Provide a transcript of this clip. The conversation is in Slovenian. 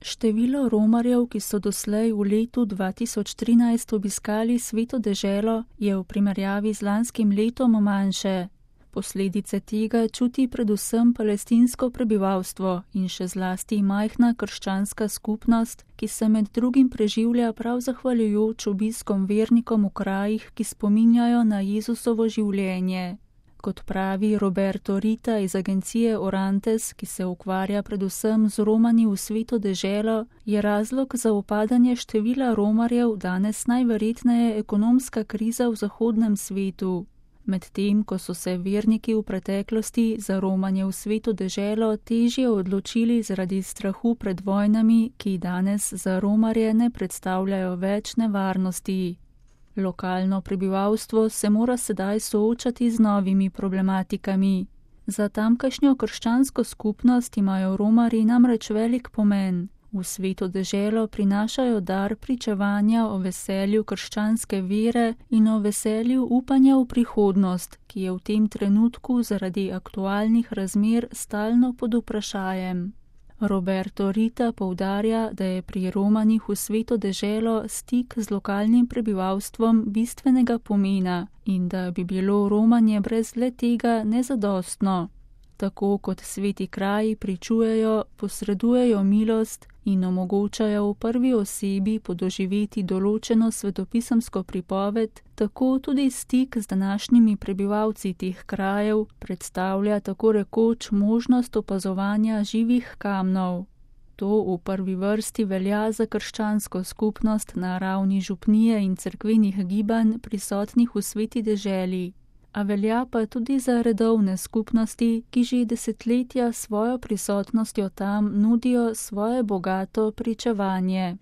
Število romarjev, ki so doslej v letu 2013 obiskali Sveto deželo, je v primerjavi z lanskim letom manjše. Posledice tega čuti predvsem palestinsko prebivalstvo in še zlasti majhna krščanska skupnost, ki se med drugim preživlja prav zahvaljujoč obiskom vernikom v krajih, ki spominjajo na Jezusovo življenje. Kot pravi Roberto Rita iz agencije Orantes, ki se ukvarja predvsem z Romani v Sveto deželo, je razlog za upadanje števila romarjev danes najverjetneje ekonomska kriza v zahodnem svetu. Medtem ko so se verniki v preteklosti za romanje v Sveto deželo težje odločili zaradi strahu pred vojnami, ki danes za romarje ne predstavljajo več nevarnosti. Lokalno prebivalstvo se mora sedaj soočati z novimi problematikami. Za tamkajšnjo krščansko skupnost imajo romarji namreč velik pomen. V Sveto deželo prinašajo dar pričevanja o veselju krščanske vere in o veselju upanja v prihodnost, ki je v tem trenutku zaradi aktualnih razmer stalno pod vprašajem. Roberto Rita poudarja, da je pri romanih v Sveto deželo stik z lokalnim prebivalstvom bistvenega pomena in da bi bilo romanje brez le tega nezadostno. Tako kot sveti kraji pričujejo, posredujejo milost in omogočajo v prvi osebi podoživeti določeno svetopisemsko pripoved, tako tudi stik z današnjimi prebivalci teh krajev predstavlja tako rekoč možnost opazovanja živih kamnov. To v prvi vrsti velja za krščansko skupnost na ravni župnije in cerkvenih gibanj prisotnih v Sveti deželi. A velja pa tudi za redovne skupnosti, ki že desetletja svojo prisotnostjo tam nudijo svoje bogato pričevanje.